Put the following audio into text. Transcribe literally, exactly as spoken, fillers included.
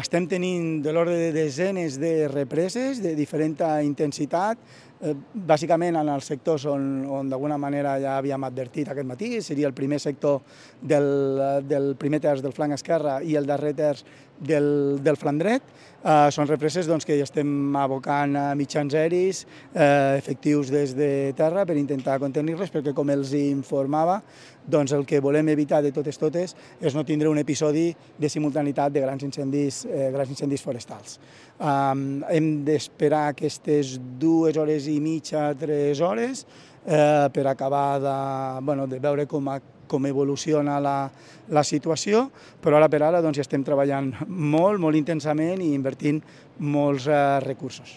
estem tenint de l'ordre de desenes de represes de diferent intensitat, eh, bàsicament en els sectors on, on d'alguna manera ja havíem advertit aquest matí, seria el primer sector del, del primer terç del flanc esquerre i el darrer terç del, del flanc dret. Uh, són represes doncs, que ja estem abocant a mitjans aeris eh, efectius des de terra per intentar contenir-les, perquè com els informava, doncs el que volem evitar de totes totes és no tindre un episodi de simultaneïtat de grans incendis, eh, grans incendis forestals. Um, hem d'esperar aquestes dues hores i mitja, tres hores, eh, per acabar de, bueno, de veure com a com evoluciona la, la situació, però ara per ara doncs, ja estem treballant molt, molt intensament i invertint molts eh, recursos.